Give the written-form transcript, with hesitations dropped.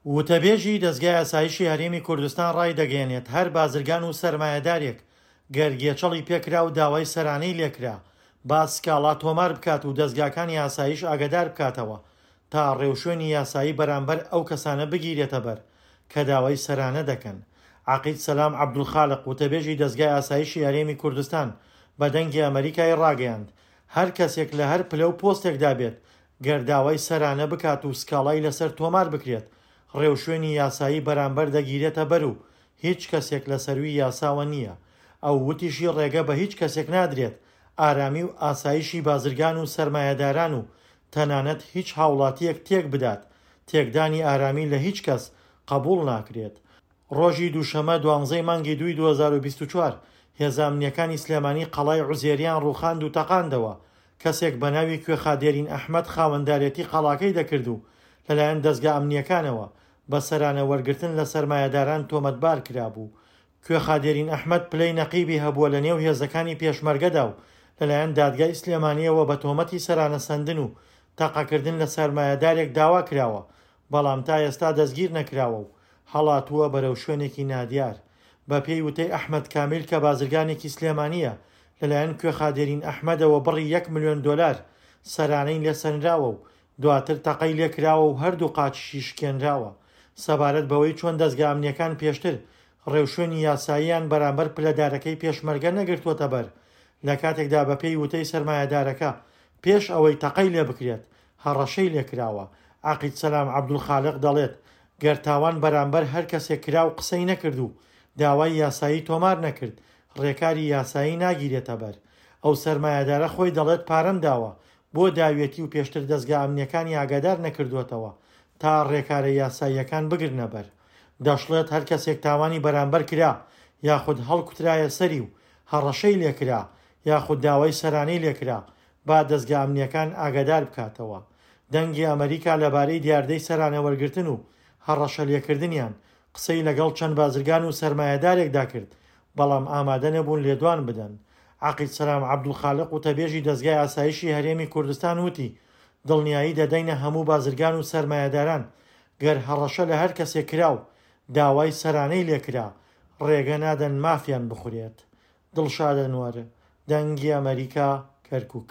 وتەبێژی دەزگای ئاسایشی هەرێمی کوردستان ڕایدەگەیەنێت، هەر بازرگان و سەرمایەدارێک گەر گێچەڵی پێکرا و داوای سەرانەی لێکرا، با سکاڵا تۆمار بکات و دەزگاکانی ئاسایش ئاگەدار بکاتەوە تا ڕێوشوێنی یاسایی بەرامبەر ئەو کەسانە بگیرێتەبەر کە داوای سەرانە دەکەن. عەقید سەلام عەبدولخالق، وتەبێژی دەزگای ئاسایشی هەرێمی کوردستان بە دەنگی ئەمەریکای ڕاگەیاند، هەر کەسێک لە هەر پلە و پۆستێکدا بێت گەر داوای سەرانە بکات و سکاڵای لەسەر تۆمار بکرێت، ڕێوشوێنی یاسایی بەرامبەر دەگیرێتە بەر و هیچ کەسێک لە سەرووی یاساوە نییە. ئەو وتیشی ڕێگە بە هیچ کەسێک نادرێت ئارامی و ئاسایشی بازرگان و سەرمایەداران و تەنانەت هیچ هاوڵاتییەک تێک بدات، تێکدانی ئارامی لە هیچ کەس قبوڵ ناکرێت. ڕۆژی دووشەمە دوانزەی مانگی دووی 2024، هێزە ئەمنییەکانی سلێمانی قەڵای عوزێریان ڕووخاند و تەقاندەوە، کەسێک بەناوی کوێخا دێرین ئەحمەد خاوەندارێتی قەڵاکەی دەکرد و لەلایەن دەزگا ئەمنییەکانەوە بە سەرانە وەرگرتن لە سەرمایەداران تۆمەتبار کرابوو. کوێخا دێرین ئەحمەد پلەی نەقیبی هەبووە لەنێو هێزەکانی پێشمەرگەدا و لەلایەن دادگای سلێمانییەوە بە تۆمەتی سەرانە سەندن و تەقەکردن لە سەرمایەدارێک داوا کراوە، بەڵام تا ئێستا دەستگیر نەکراوە و هەڵاتووە بەرەو شوێنێکی نادیار. بەپێی وتەی ئەحمەد کامیل کە بازرگانێکی سلێمانییە، لەلایەن کوێخا دێرین ئەحمەدەوە بڕی یەک ملیۆن دۆلار سەرانەی لێسەنراوە و دواتر تەقەی لێکراوە و هەردوو قاچیشی شکێنراوە. سەبارەت بەوەی چۆن دەزگا ئەمنییەکان پێشتر ڕێوشوێنی یاساییان بەرامبەر پلەدارەکەی پێشمەرگە نەگرتووەتەبەر، لەکاتێکدا بەپێی وتەی سەرمایەدارەکە پێش ئەوەی تەقەی لێبکرێت هەڕەشەی لێکراوە، عەقید سەلام عەبدولخالق دەڵێت، گەر تاوان بەرامبەر هەر کەسێک کرا و قسەی نەکرد و داوای یاسایی تۆمار نەکرد، ڕێکاری یاسایی ناگیرێتەبەر. ئەو سەرمایەدارە خۆی دەڵێت پارەم داوە، بۆ داویەتی و پێشتر دەزگا ئەمنییەکانی ئاگادار نەکردووەتەوە تا ڕێکارە یاساییەکان بگرنەبەر. دەشڵێت هەر کەسێک تاوانی بەرامبەر کرا یاخود هەڵکوترایە سەری و هەڕەشەی لێکرا یاخود داوای سەرانەی لێکرا با دەزگا ئەمنییەکان ئاگادار بکاتەوە. دەنگی ئەمەریکا لەبارەی دیاردەی سەرانە وەرگرتن و هەڕەشە لێکردنیان قسەی لەگەڵ چەند بازرگان و سەرمایەدارێکدا کرد، بەڵام ئامادە نەبوون لێدوان بدەن. عەقید سەلام عەبدولخالق وتەبێژی دەزگای ئاسایشی هەرێمی کوردستان وتی، دڵنیایی دەدەینە هەموو بازرگان و سەرمایەداران گەر هەڕەشە لە هەر کەسێک کرا و داوای سەرانەی لێکرا، ڕێگە نادەن مافیان بخورێت. دڵشاد ئەنوەر، دەنگی ئەمەریکا، کەرکوک.